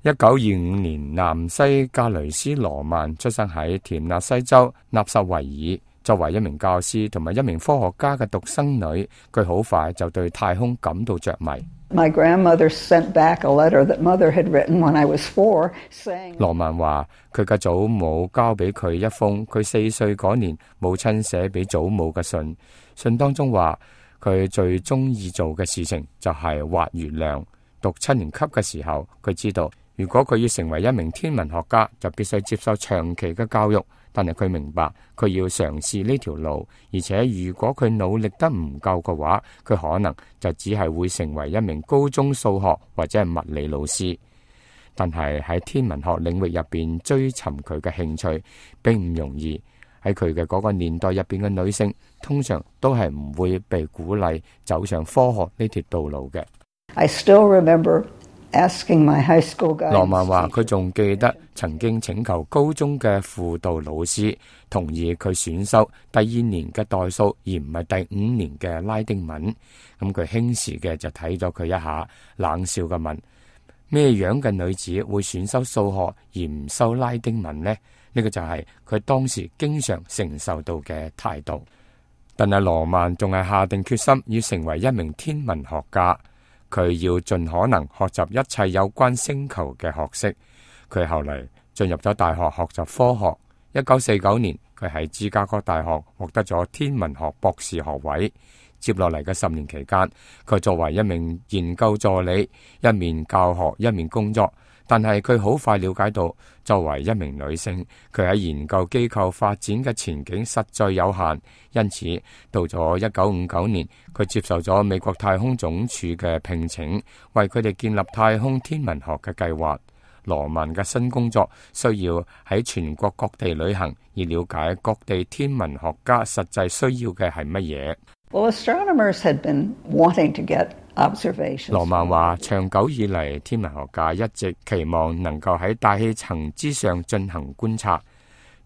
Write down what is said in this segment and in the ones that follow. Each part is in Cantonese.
1925年，南西格雷斯羅曼出生喺田納西州納什維爾。作為一名教師同埋一名科學家嘅獨生女，佢好快就對太空感到着迷。My grandmother sent back a letter that mother had written when I was 4, saying 羅曼話佢嘅祖母交俾佢一封佢4歲嗰年母親寫俾祖母嘅信，信當中話佢最中意做嘅事情就係畫月亮。讀7年級嘅時候，佢知道如果佢要成為一名天文學家，就必須接受長期嘅教育。但係佢明白佢要嘗試呢條路，而且如果佢努力得唔夠嘅話，佢可能就只係會成為一名高中數學或者係物理老師。但係喺天文學領域入邊追尋佢嘅興趣並唔容易。喺佢嘅嗰個年代入邊嘅女性通常都係唔會被鼓勵走上科學呢條道路嘅。I still remember asking my high school guidance teacher. 羅曼話佢仲記得曾經請求高中嘅輔導老師同意佢選修第2年嘅代數，而唔係第5年嘅拉丁文。咁佢輕視嘅就睇咗佢一下，冷笑嘅問：咩樣嘅女子會選修數學而唔修拉丁文呢？呢個就係佢當時經常承受到嘅態度。但係羅曼仲係下定決心要成為一名天文學家。佢要盡可能學習一切有關星球嘅學識。佢後嚟進入咗大學學習科學。1949年，佢喺芝加哥大學獲得咗天文學博士學位。接落嚟嘅10年期間，佢作為一名研究助理，一面教學一面工作。但係佢好快了解到，作為一名女性，佢喺研究機構發展嘅前景實在有限。因此，到咗1959年，佢接受咗美國太空總署嘅聘請，為佢哋建立太空天文學嘅計劃。羅曼嘅新工作需要喺全國各地旅行，以了解各地天文學家實際需要嘅係乜嘢。Well, astronomers had been wanting to get observations. 羅曼話，長久以嚟，天文學家一直期望能夠喺大氣層之上進行觀察。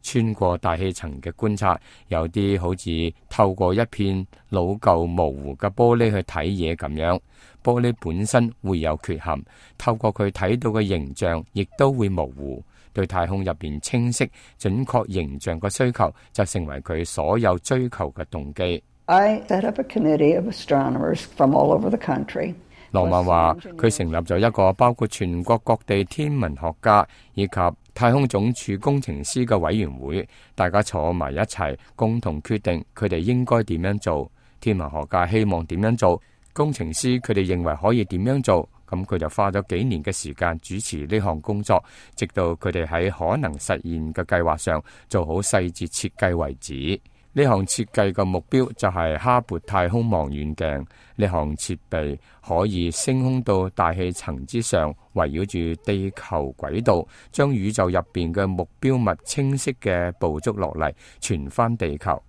穿過大氣層嘅觀察，有啲好似透過一片老舊模糊嘅玻璃去睇嘢咁樣。玻璃本身會有缺陷，透過佢睇到嘅形象，亦都會模糊。對太空入邊清晰、準確形象嘅需求，就成為佢所有追求嘅動機。I set up a committee of astronomers from all over the country. 羅曼話，佢成立咗一個包括全國各地天文學家以及太空總署工程師嘅委員會，大家坐埋一齊，共同決定佢哋應該點樣做。天文學家希望點樣做，工程師佢哋認為可以點樣做，咁佢就花咗幾年嘅時間主持呢項工作，直到佢哋喺可能實現嘅計劃上做好細節設計為止。呢項設計嘅目標就係哈勃太空望遠鏡。呢項設備可以升空到大氣層之上，圍繞住地球軌道，將宇宙入邊嘅目標物清晰嘅捕捉落嚟，傳翻地球。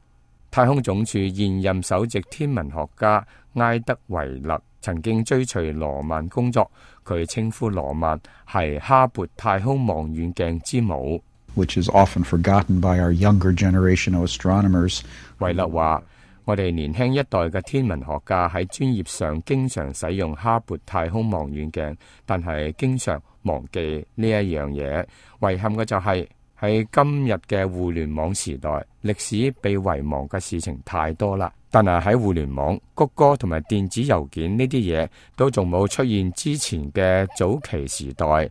太空總署現任首席天文學家埃德維勒曾經追隨羅曼工作，佢稱呼羅曼係哈勃太空望遠鏡之母。Which is often forgotten by our younger generation of astronomers. 維勒話：我哋年輕一代嘅天文學家喺專業上經常使用哈勃太空望遠鏡，但係經常忘記呢一樣嘢。遺憾嘅就係喺今日嘅互聯網時代，歷史被遺忘嘅事情太多啦。但係喺互聯網、谷歌同埋電子郵件呢啲嘢都仲冇出現之前嘅早期時代。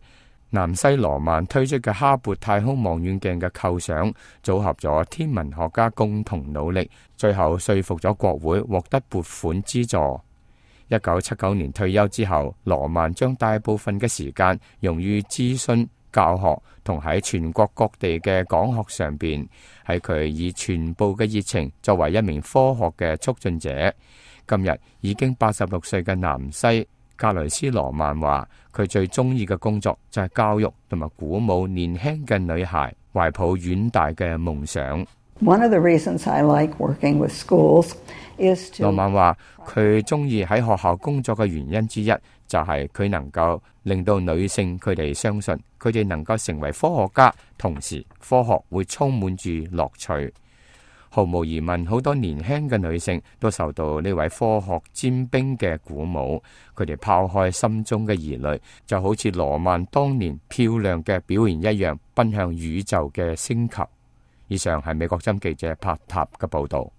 南西羅曼推出嘅哈勃太空望遠鏡嘅構想，組合咗天文學家共同努力，最後說服咗國會獲得撥款資助。1979年退休之後，羅曼將大部分嘅時間用於諮詢、教學同喺全國各地嘅講學上邊。喺佢以全部嘅熱情作為一名科學嘅促進者。今日已經86歲嘅南西格雷斯羅曼話，佢最中意嘅工作就係教育同埋鼓舞年輕嘅女孩懷抱遠大嘅夢想。One of the reasons I like working with schools is to 羅曼話，佢中意喺學校工作嘅原因之一就係佢能夠令到女性佢哋相信佢哋能夠成為科學家，同時科學會充滿住樂趣。毫無疑問，好多年輕嘅女性都受到呢位科學尖兵嘅鼓舞，佢哋拋開心中嘅疑慮，就好似羅曼當年漂亮嘅表現一樣，奔向宇宙嘅星球。以上係美國之音記者柏塔嘅報道。